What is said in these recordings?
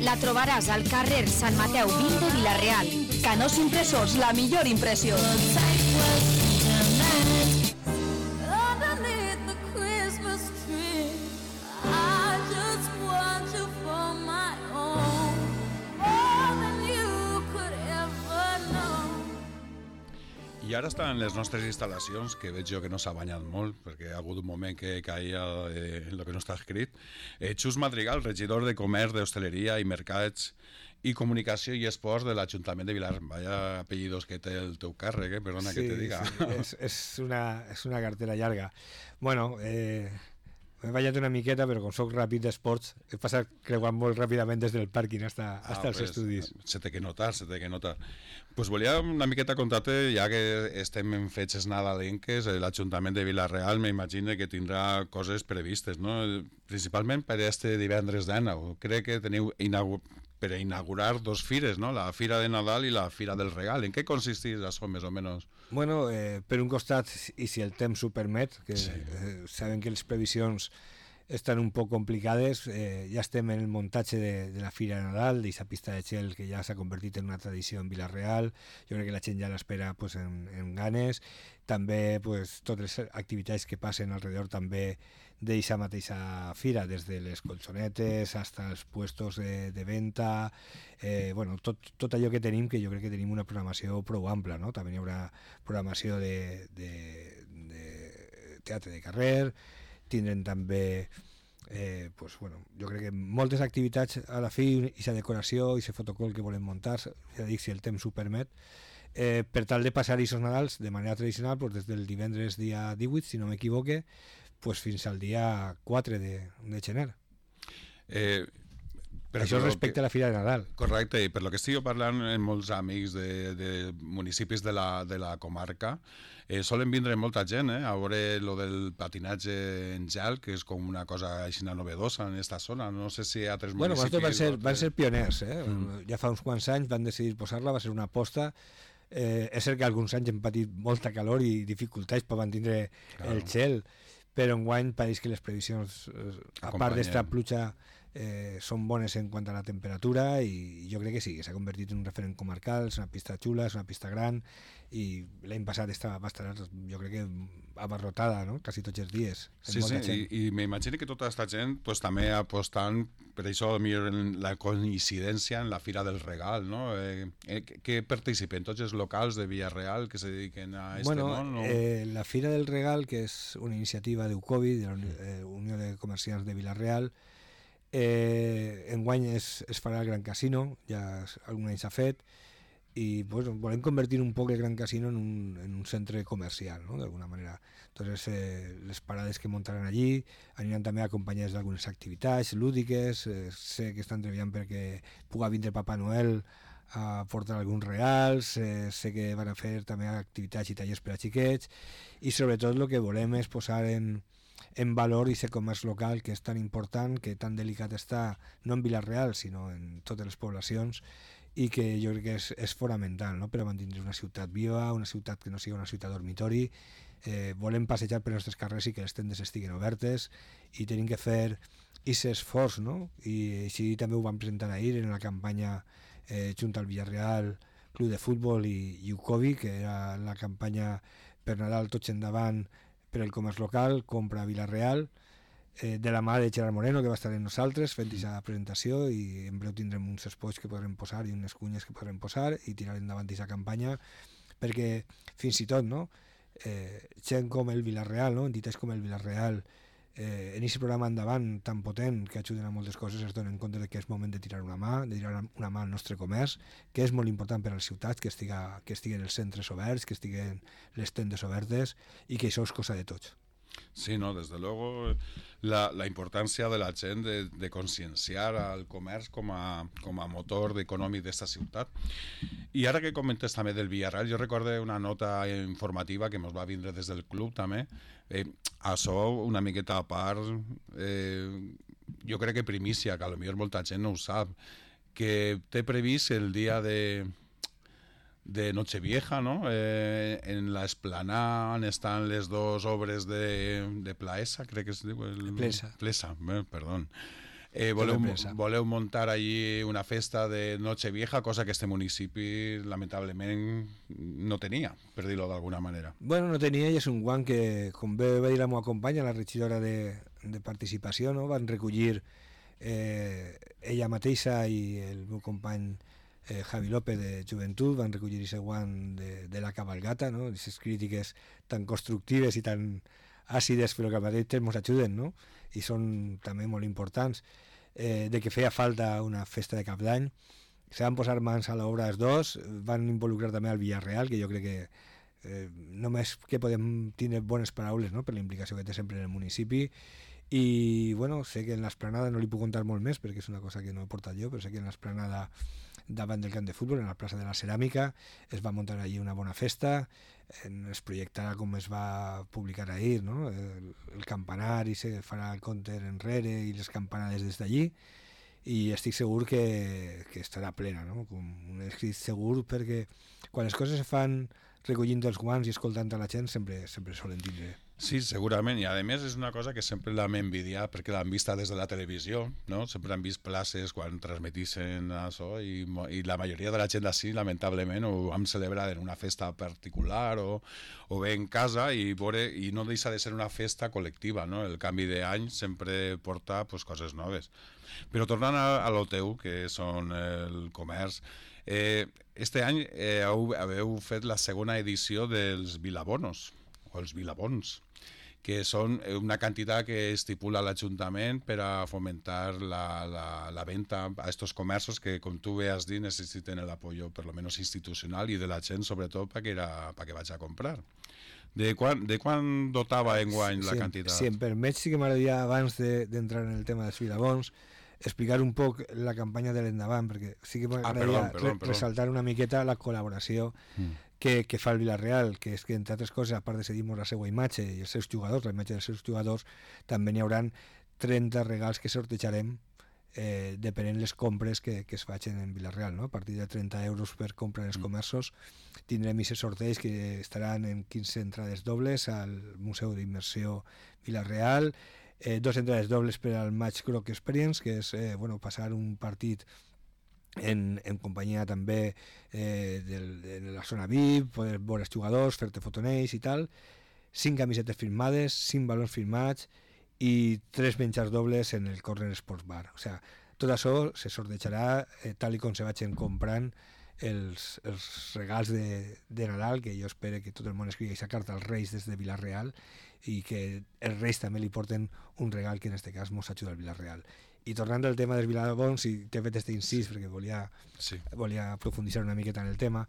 La trobaràs al carrer Sant Mateu 20 de Vila-real. Canós Impressors, la millor impressió. I ara està en les nostres instal·lacions, que veig jo que no s'ha banyat molt, perquè ha hagut un moment que caia el que no està escrit. Xus Madrigal, regidor de Comerç, d'Hostaleria i Mercats i Comunicació i Esports de l'Ajuntament de Vilar. Vaya apellidos que té el teu càrrec, perdona que te diga. Sí, és una cartera llarga. Bueno, m'he ballat una miqueta, però com soc ràpid d'esports, he passat creuant molt ràpidament des del pàrquing fins als estudis. Se té que notar. Pues volia una miqueta contar-te, ja que estem en fetges nadalenques, l'Ajuntament de Vila-real m'imagino que tindrà coses previstes, no? Principalment per este divendres d'9. Crec que teniu per inaugurar dos fires, no? La Fira de Nadal i la Fira del Regal. En què consisteix això, més o menys? Bueno, per un costat, i si el temps ho permet, que sí. Sabem que les previsions estan un poc complicades, ja estem en el muntatge de la Fira de Nadal, d'aquesta pista de gel que ja s'ha convertit en una tradició en Vila-real. Jo crec que la gent ja l'espera pues, en ganes. També pues, totes les activitats que passen alrededor també d'aquesta mateixa fira, des de les colxonetes fins als puestos de venda, bueno, tot allò que tenim, que jo crec que tenim una programació prou ampla, no? També hi haurà programació de teatre de carrer, tindrem també pues, bueno, jo crec que moltes activitats a la fi, i la decoració i el fotocol que volem muntar, ja dic, si el temps ho permet, per tal de passar aquests Nadals de manera tradicional, pues, des del divendres dia 18, si no m'equivoque, pues, fins al dia 4 de gener. Per això respecte a la Fira de Nadal. Correcte, i per lo que estic parlant amb molts amics de municipis de la comarca, solen vindre molta gent a veure lo del patinatge en gel, que és com una cosa així novedosa en aquesta zona. No sé si altres municipis... Bueno, van ser pioners, ja fa uns quants anys van decidir posar-la, va ser una aposta. És cert que alguns anys hem patit molta calor i dificultats per mantindre el gel, però enguany pareix que les previsions, a part d'esta pluja, són bones en quant a la temperatura, i jo crec que sí, que s'ha convertit en un referent comarcal. És una pista xula, és una pista gran, i l'any passat va estar, jo crec que abarrotada, no? Quasi tots els dies. Sí, i m'imagino que tota aquesta gent pues, també apostant per això, la coincidència en la Fira del Regal, no? Que participen tots els locals de Vila-real que se dediquen a món? No? La Fira del Regal, que és una iniciativa d'Ucovi, de la Unió de Comerciants de Vila-real, enguany es farà al Gran Casino, ja algun any s'ha fet, i pues, volem convertir un poc el Gran Casino en un centre comercial, no? D'alguna manera. Entonces, les parades que muntaran allí aniran també acompanyades d'algunes activitats lúdiques. Sé que estan treballant perquè puga vindre Papa Noel a portar alguns regals. Sé que van a fer també activitats i tallers per a xiquets, i sobretot el que volem és posar en valor aquest comerç local, que és tan important, que tan delicat està, no en Vila-real, sinó en totes les poblacions, i que jo crec que és fonamental, no?, per a mantenir una ciutat viva, una ciutat que no sigui una ciutat dormitori. Volem passejar per els nostres carrers i que les tendes estiguen obertes, i tenim que fer aquest esforç, no? I així també ho vam presentar ahir en la campanya junt al Villarreal Club de Futbol i Ucovi, que era la campanya per Nadal tots endavant per el comerç local, compra a Vila-real, de la mà de Gerard Moreno, que va estar amb nosaltres fent aquesta presentació, i en breu tindrem uns spots que podrem posar i unes cunyes que podrem posar i tirar endavant aquesta campanya, perquè fins i tot, no, gent com el Vila-real, no, entitats com el Vila-real, en aquest programa endavant tan potent que ajuden a moltes coses, es donen compte que és moment de tirar una mà al nostre comerç, que és molt important per a les ciutats, que estiguen els centres oberts, que estiguen les tendes obertes, i que això és cosa de tots. Sí, no, desde luego la importància de la gent de conscienciar al comerç com a motor econòmic d'esta ciutat. I ara que comentes també del Villarreal, jo recordo una nota informativa que ens va vindre des del club també, això una miqueta a part, jo crec que primícia, que potser molta gent no ho sap, que té previst el dia de Nochevieja, ¿no? En la esplanada estan les dos obres de Plaesa, crec que es diu... Plesa. Plesa, perdó. voleu muntar allí una festa de Nochevieja, cosa que este municipi lamentablement no tenia, per dir-ho d'alguna manera. Bueno, no tenia, i és un guant que, com bé va dir la meva companya, la regidora de participació, no? Van recollir ella mateixa i el meu company Javi López de Joventut, van recollir aquest guant de la cabalgata, no? Aquestes crítiques tan constructives i tan àcides, però que al mateix temps ens ajuden, no? I són també molt importants, de que feia falta una festa de cap d'any. Se van posar mans a l'obra els dos, van involucrar també al Villarreal, que jo crec que només que podem tenir bones paraules, no?, per la implicació que té sempre en el municipi. I bueno, sé que en l'esplanada no li puc contar molt més perquè és una cosa que no he portat jo, però sé que en l'esplanada davant del camp de futbol, en la plaça de la Ceràmica, es va muntar allí una bona festa, es projectarà com es va publicar ahir, no? El campanar, i se farà el counter enrere i les campanades des d'allí, i estic segur que estarà plena, no? Estic segur perquè quan les coses se fan recollint els guants i escoltant a la gent sempre solen tindre. Sí, segurament, i a més és una cosa que sempre l'hem envidiat perquè l'han vista des de la televisió, no? Sempre han vist places quan transmetissin això i la majoria de la gent d'ací lamentablement ho vam celebrar en una festa particular o bé en casa i no deixa de ser una festa col·lectiva, no? El canvi d'any sempre porta pues, coses noves. Però tornant a lo teu, que són el comerç, este any heu fet la segona edició dels Vilabonos, o els Vilabons, que són una quantitat que estipula l'Ajuntament per a fomentar la venda a estos comerços que, com tu bé has dit, necessiten el apoyo per lo menos institucional i de la gent, sobretot, perquè vaig a comprar. De quan dotava enguany la quantitat? Si em permets, sí que m'agradaria, abans d'entrar en el tema dels Vilabons, explicar un poc la campanya de l'endavant, perquè sí que m'agradaria ressaltar una miqueta la col·laboració que fa el Villarreal, que és que, entre altres coses, a part de cedir-nos la seva imatge i els seus jugadors, la imatge dels seus jugadors, també n'hi haurà 30 regals que sortejarem depenent les compres que es facin en Villarreal, no? A partir de 30 euros per compra en els comerços tindrem aquests sorteig que estaran en 15 entrades dobles al Museu d'Immersió Villarreal, 2 entrades dobles per al Match Groc Experience, que és passar un partit en companyia també de la zona VIP, poder veure els jugadors, fer-te fotonells i tal, 5 camisetes firmades, 5 balons firmats i 3 menjars dobles en el Corner Sports Bar. O sigui, tot això se sortejarà tal com se vagin comprant els regals de Nadal, que jo espero que tot el món escrigui aquesta carta als Reis des de Villarreal i que els Reis també li porten un regal que en aquest cas mos ajuda al Villarreal. I tornant al tema dels Vilabons, i t'he fet aquest incís perquè volia profunditzar una miqueta en el tema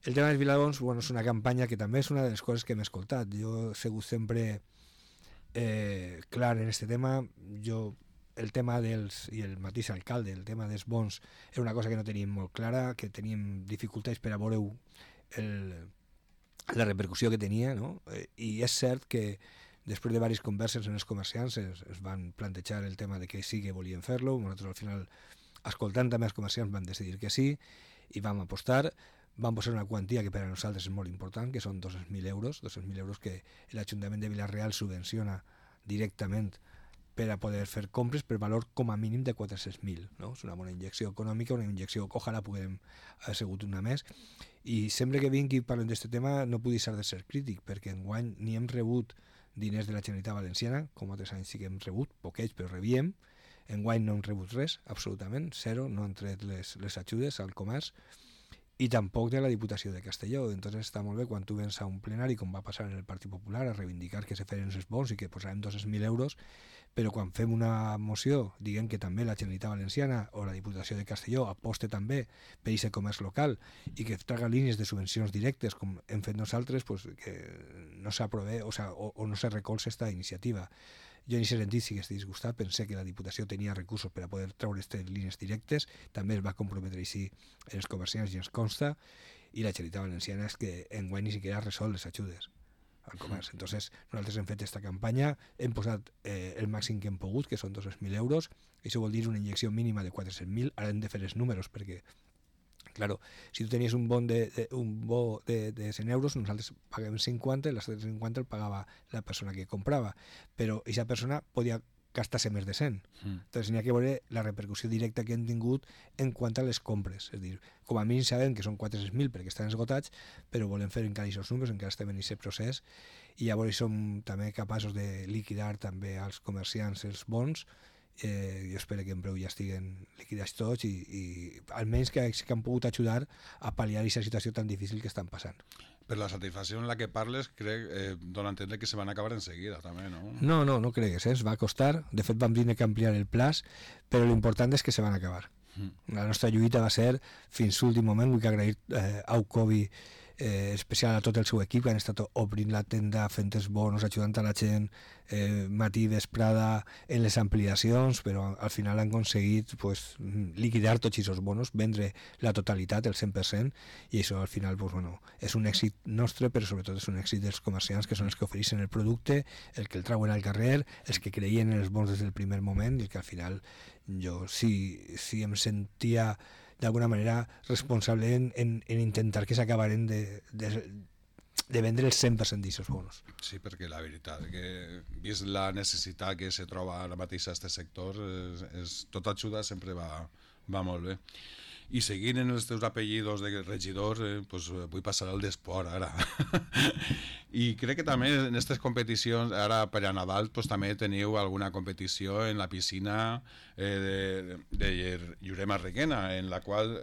dels Vilabons, és una campanya que també és una de les coses que hem escoltat. Jo he sigut sempre clar en aquest tema. El tema i el mateix alcalde, el tema dels bons era una cosa que no teníem molt clara, que teníem dificultats per a veure la repercussió que tenia, no? I és cert que després de diverses converses en els comerciants es van plantejar el tema de que sí que volien fer-lo. Nosaltres al final, escoltant també els comerciants, vam decidir que sí i vam apostar. Vam posar una quantia que per a nosaltres és molt important, que són 200.000 euros, 200.000 euros que l'Ajuntament de Villarreal subvenciona directament per a poder fer compres per valor com a mínim de 400.000, no? És una bona injecció econòmica, una injecció que ojalà puguem haver sigut una més. I sempre que vingui i parlem d'aquest tema no puc deixar de ser crític, perquè enguany ni hem rebut diners de la Generalitat Valenciana, com altres anys sí que hem rebut, poquets, però rebíem. Enguany no hem rebut res, absolutament, zero, no han tret les ajudes al comerç, i tampoc de la Diputació de Castelló. Entonces està molt bé quan tu vens a un plenari, com va passar en el Partit Popular, a reivindicar que se feren els bons i que posarem 200.000 euros, però quan fem una moció diguem que també la Generalitat Valenciana o la Diputació de Castelló aposte també per aquest comerç local i que traga línies de subvencions directes com hem fet nosaltres, pues, que no s'aprove o no se recolza aquesta iniciativa. Jo en aquest sentit sí que estic disgustat, pensé que la Diputació tenia recursos per a poder treure aquestes línies directes, també es va comprometre així en els comerciants i ens consta, i la Generalitat Valenciana és que enguany ni siquiera ha resolt les ajudes al comerç. Entonces nosaltres hem fet aquesta campanya, hem posat el màxim que hem pogut, que són 200.000 euros, això vol dir una injecció mínima de 400.000, ara hem de fer els números perquè claro, si tu tenies un bo de 100 euros, nosaltres paguem 50 i les 50 el pagava la persona que comprava, però aquesta persona podia gastar-se més de 100. Entonces n'hi ha que veure la repercussió directa que hem tingut en quant a les compres. És a dir, com a mínim sabem que són 400.000 perquè estan esgotats, però volem fer encara aquests números, encara estem en aquest procés, i llavors som també capaços de liquidar també als comerciants els bons. Jo espero que en breu ja estiguen liquidats tots i almenys que han pogut ajudar a pal·liar aquesta situació tan difícil que estan passant. Per la satisfacció en la que parles, crec, dona a entendre que se van acabar en seguida, també, no? No cregues, ens va costar. De fet, vam tenir que ampliar el plaç, però l'important és que se van acabar. La nostra lluita va ser fins l'últim moment. Vull agrair a Ucovi, especial a tot el seu equip, que han estat obrint la tenda, fent els bonos, ajudant a la gent, matí, vesprada, en les ampliacions, però al final han aconseguit liquidar tots aquests bonos, vendre la totalitat, el 100%, i això al final és un èxit nostre, però sobretot és un èxit dels comerciants, que són els que ofereixen el producte, els que el trauen al carrer, els que creien en els bons des del primer moment, i que al final jo si em sentia d'alguna manera responsable en intentar que s'acabaren de vendre el 100% d'aquests bonos. Sí, perquè la veritat que vist la necessitat que se troba ara mateix a aquest sector, tota ajuda sempre va molt bé. I seguint en els teus apellidos de regidor, vull passar al d'esport ara. I crec que també en aquestes competicions, ara per a Nadal, també teniu alguna competició en la piscina de Llurema Requena, en la qual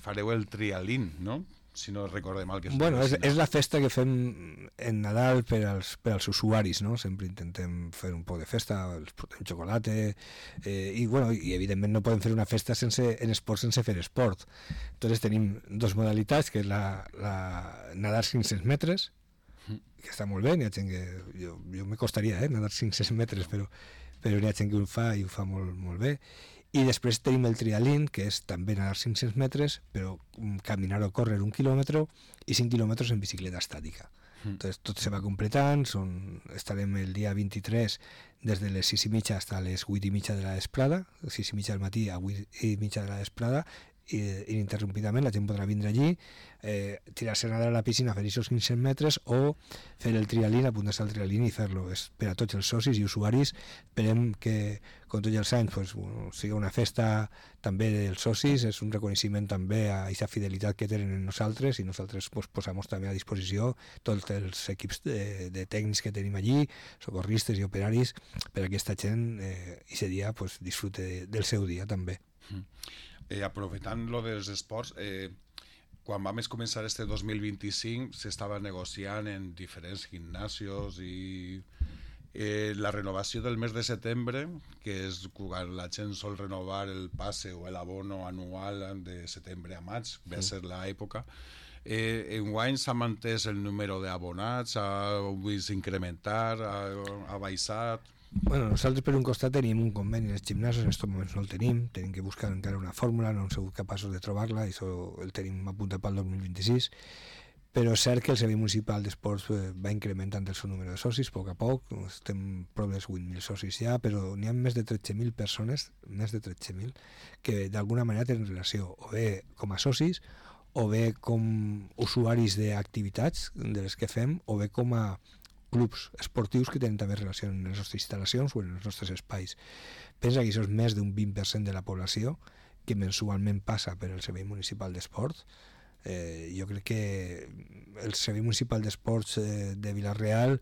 fareu el trialín, no? Si no recordo mal. És la festa que fem en Nadal per als usuaris, no? Sempre intentem fer un poc de festa, els portem xocolata, i evidentment no podem fer una festa en esport sense fer esport. Entonces tenim dos modalitats, que és la nadar 500 metres, que està molt bé, n'hi ha gent que... Jo me costaria nadar 500 metres, però n'hi ha gent que ho fa i ho fa molt, molt bé. I després tenim el trialín, que és també nedar 500 metres, però caminar o córrer 1 quilòmetre i 5 quilòmetres en bicicleta estàtica. Entonces, tot se va completant, estarem el dia 23 des de les 6:30 fins a les 8:30 de la vesprada, 6:30 del matí a 8:30 de la vesprada, ininterrompidament, la gent podrà vindre allí, tirar-se a nedar a la piscina, fer aquests 500 metres o fer el trialín, apuntar-se al trialín i fer-lo. És per a tots els socis i usuaris. Esperem que, com tots els anys, sigui una festa també dels socis, és un reconeixement també a aquesta fidelitat que tenen en nosaltres, i nosaltres posem també a disposició tots els equips de tècnics que tenim allí, socorristes i operaris, per a aquesta gent aquest dia disfrute del seu dia també. Aprofitant lo dels esports, quan vam començar este 2025 s'estava negociant en diferents gimnasios i la renovació del mes de setembre, que és quan la gent sol renovar el passe o l'abono anual de setembre a maig, ve a ser l'època. Enguany s'ha mantès el número d'abonats, ha vist incrementar, ha baixat? Nosaltres per un costat tenim un conveni en els gimnasos, en aquests moments no el tenim que buscar encara una fórmula, no hem sigut capaços de trobar-la, i això el tenim apuntat pel 2026, però és cert que el Servei Municipal d'Esports va incrementant el seu número de socis a poc, estem prop dels 8.000 socis ja, però n'hi ha més de 13.000 persones, més de 13.000, que d'alguna manera tenen relació, o bé com a socis, o bé com usuaris d'activitats de les que fem, o bé com a clubs esportius que tenen també relació en les nostres instal·lacions o en els nostres espais. Pensa que això és més d'un 20% de la població que mensualment passa per el Servei Municipal d'Esports. Jo crec que el Servei Municipal d'Esports de Vila-real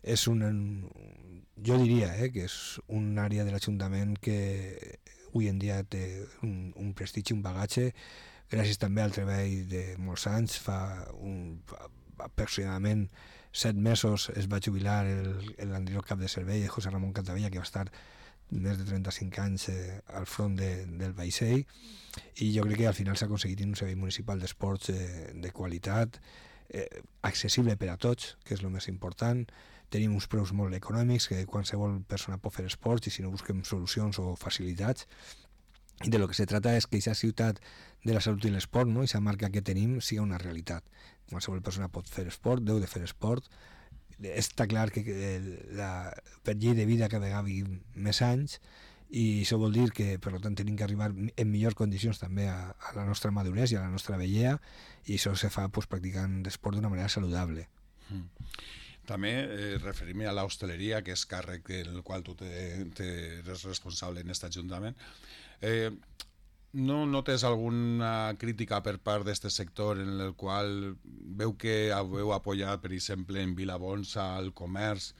és jo diria que és una àrea de l'Ajuntament que avui en dia té un prestigi, un bagatge, gràcies també al treball de molts anys. Fa aproximadament 7 mesos es va jubilar l'anterior cap de servei, José Ramón Cantavella, que va estar més de 35 anys al front del vaixell, i jo crec que al final s'ha aconseguit un servei municipal d'esports de qualitat, accessible per a tots, que és el més important. Tenim uns preus molt econòmics, que qualsevol persona pot fer esports, i si no busquem solucions o facilitats. I de lo que se trata és que aquesta ciutat de la salut i l'esport, no? Aquesta marca que tenim, sigui una realitat. Qualsevol persona pot fer esport, deu de fer esport. Està clar que per llei de vida cada vegada vivim més anys, i això vol dir que, per tant, tenim que arribar en millors condicions també a la nostra maduresa i a la nostra vellea, i això se fa practicant esport d'una manera saludable. També referir-me a l'hostaleria, que és càrrec del qual tu eres responsable en aquest Ajuntament. No notes alguna crítica per part d'aquest sector en el qual veu que heu apoyat, per exemple, en Vilabonsa al comerç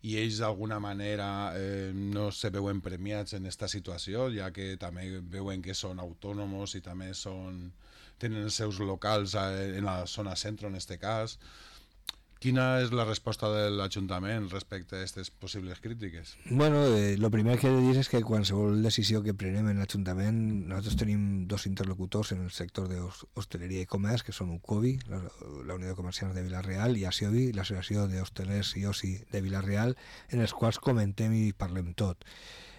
i ells d'alguna manera no se veuen premiats en aquesta situació, ja que també veuen que són autònoms i també tenen els seus locals en la zona centro, en aquest cas. Quina és la resposta de l'Ajuntament respecte a aquestes possibles crítiques? Bueno, lo primer que he de dir és que qualsevol decisió que prenem en l'Ajuntament, nosaltres tenim dos interlocutors en el sector d'hostaleria i comerç, que són UCOBI, la Unió de Comerciants de Vila-real, i ASIOBI, l'Associació d'Hostelers i Oci de Vila-real, en els quals comentem i parlem tot.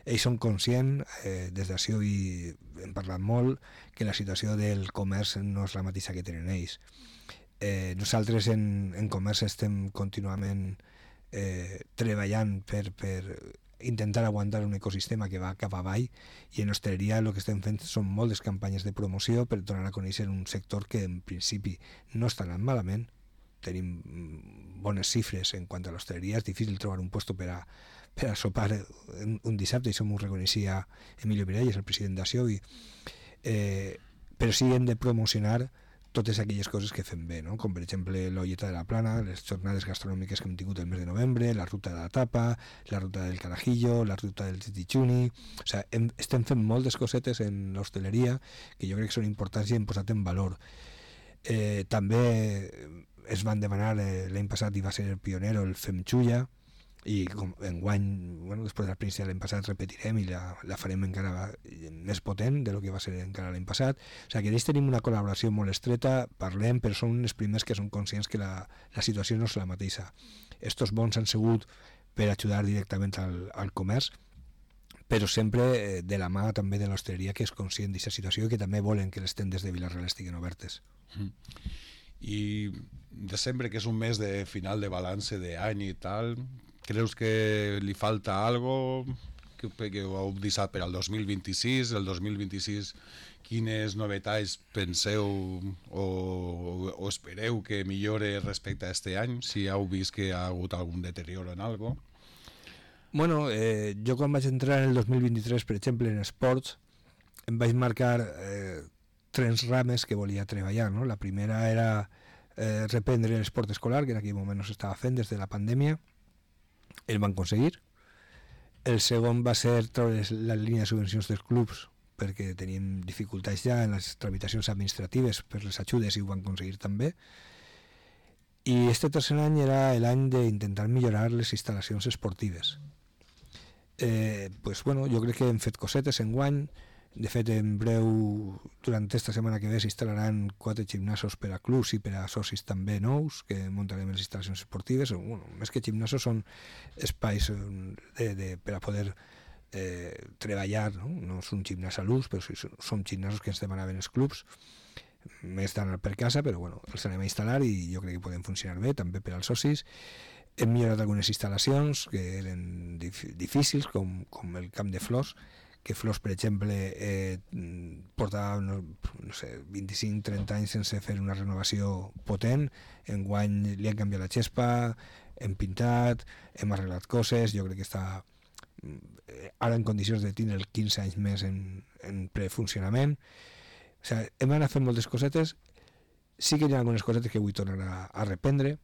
Ells són conscients, des d'ASIOBI hem parlat molt, que la situació del comerç no és la mateixa que tenen ells. Nosaltres en comerç estem contínuament treballant per intentar aguantar un ecosistema que va cap avall, i en hostaleria el que estem fent són moltes campanyes de promoció per donar a conèixer un sector que en principi no està anant malament. Tenim bones xifres en quant a l'hostaleria, és difícil trobar un lloc per a sopar un dissabte, i això m'ho reconeixia Emilio Miralles, el president d'ASIOBI, però sí hem de promocionar totes aquelles coses que fem bé, no? Com per exemple l'Olleta de la Plana, les jornades gastronòmiques que hem tingut el mes de novembre, la ruta de la tapa, la ruta del carajillo, la ruta del titichuni. O sigui, estem fent moltes cosetes en l'hostaleria que jo crec que són importants i hem posat en valor. També es van demanar l'any passat, i va ser el pionero, el Fem Xulla, i enguany, bueno, després de l'experiència de l'any passat repetirem i la farem encara més potent de lo que va ser encara l'any passat. O sigui, que ells tenim una col·laboració molt estreta, parlem, però són els primers que són conscients que la situació no és la mateixa. Estos bons han sigut per ajudar directament al comerç, però sempre de la mà també de l'hostaleria, que és conscient d'aquesta situació i que també volen que les tendes de Vila-real estiguin obertes. I desembre, que és un mes de final de balanç d'any i tal, creus que li falta algo que ho heu deixat per al 2026? El 2026, quines novetats penseu o espereu que millore respecte a este any, si heu vist que ha hagut algun deterioro en algo? Bueno, jo quan vaig entrar en el 2023, per exemple, en esports, em vaig marcar 3 rames que volia treballar, no? La primera era reprendre l'esport escolar, que en aquell moment no s'estava fent des de la pandèmia. El van aconseguir. El segon va ser treure la línia de subvencions dels clubs, perquè teníem dificultats ja en les tramitacions administratives per les ajudes, i ho van aconseguir també. I este tercer any era l'any d'intentar millorar les instal·lacions esportives. Pues bueno, jo crec que hem fet cosetes enguany. De fet, en breu, durant aquesta setmana que ve, s'instal·laran 4 gimnasos per a clubs i per a socis també nous, que muntarem les instal·lacions esportives. Bueno, més que gimnasos són espais per a poder treballar, no? No és un gimnàs a l'ús, però són gimnasos que ens demanaven els clubs, més d'anar per casa, però bueno, els anem a instal·lar i jo crec que poden funcionar bé, també per als socis. Hem millorat algunes instal·lacions que eren difícils, com el camp de flors, que Flors, per exemple, portava no sé, 25-30 anys sense fer una renovació potent. Enguany li han canviat la xespa, hem pintat, hem arreglat coses. Jo crec que està ara en condicions de tindre 15 anys més en prefuncionament. O sigui, hem anat fent moltes cosetes. Sí que hi ha algunes cosetes que vull tornar a reprendre,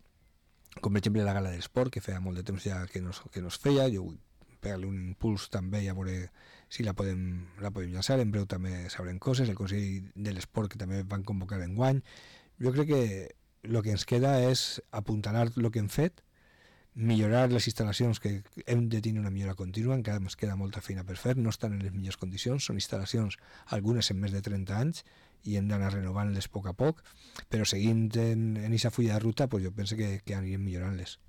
com per exemple la gala de l'esport, que feia molt de temps ja que no es feia. Jo vull pegar-li un impuls també i a veure si la podem llançar. En breu també sabrem coses. El Consell de l'Esport, que també van convocar enguany. Jo crec que el que ens queda és apuntalar el que hem fet, millorar les instal·lacions, que hem de tenir una millora contínua, encara ens queda molta feina per fer, no estan en les millors condicions, són instal·lacions, algunes en més de 30 anys, i hem d'anar renovant-les a poc, però seguint en aquesta fulla de ruta, pues jo penso que anirem millorant-les.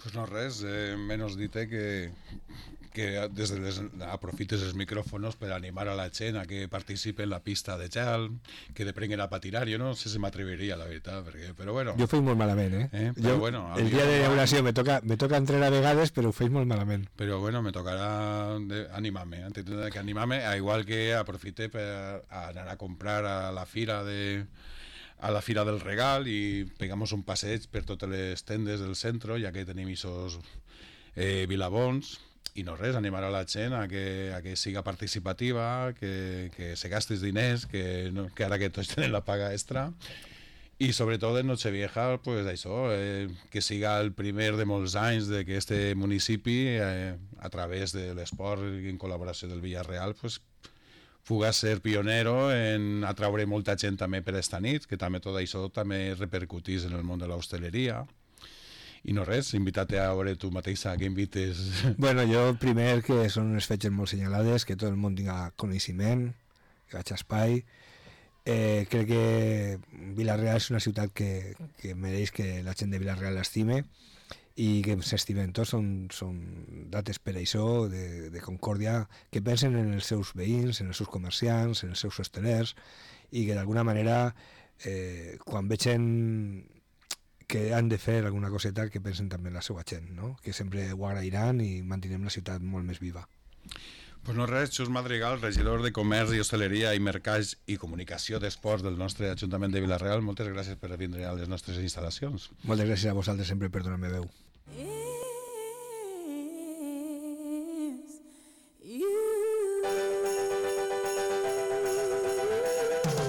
Pues no res, menys dit que des de aprofites els micròfons per animar a la gent a que participi en la pista de gel, que deprenguen a patinar. Jo no sé si m'atreviria, la veritat, però bueno. Jo ho faig molt malament, Però bueno, el dia de inauguració me toca entrar a vegades, però ho faig molt malament. Però bueno, me tocarà animar-me, tindré que animar-me, igual que aprofite per anar a comprar a la fira a la Fira del Regal i pegamos un passeig per totes les tendes del centre, ja que tenim aquests vilabons, i no res, animar a la gent a que siga participativa, que se gastis diners, que ara que tots tenen la paga extra, i sobretot en Nochevieja, pues això, que siga el primer de molts anys de que este municipi, a través de l'esport i en col·laboració del Villarreal, pues, puga ser pionero en atraure molta gent també per esta nit, que també tot això també repercutís en el món de l'hostaleria. I no res, invitar-te a veure tu mateixa, que invites... Bueno, jo primer que són unes fetges molt senyalades, que tot el món tinga coneixement, que vaig a espai. Crec que Vila-real és una ciutat que mereix que la gent de Vila-real l'estime i que s'estimen tots, són dates per això, de concòrdia, que pensen en els seus veïns, en els seus comerciants, en els seus hostelers, i que d'alguna manera, quan vegen que han de fer alguna coseta, que pensen també en la seva gent, no? Que sempre ho agrairan i mantinem la ciutat molt més viva. Pues no res, Xus Madrigal, regidor de Comerç i Hostaleria i Mercats i Comunicació d'Esports del nostre Ajuntament de Vila-real, moltes gràcies per vindre a les nostres instal·lacions. Moltes gràcies a vosaltres sempre per donar-me veu.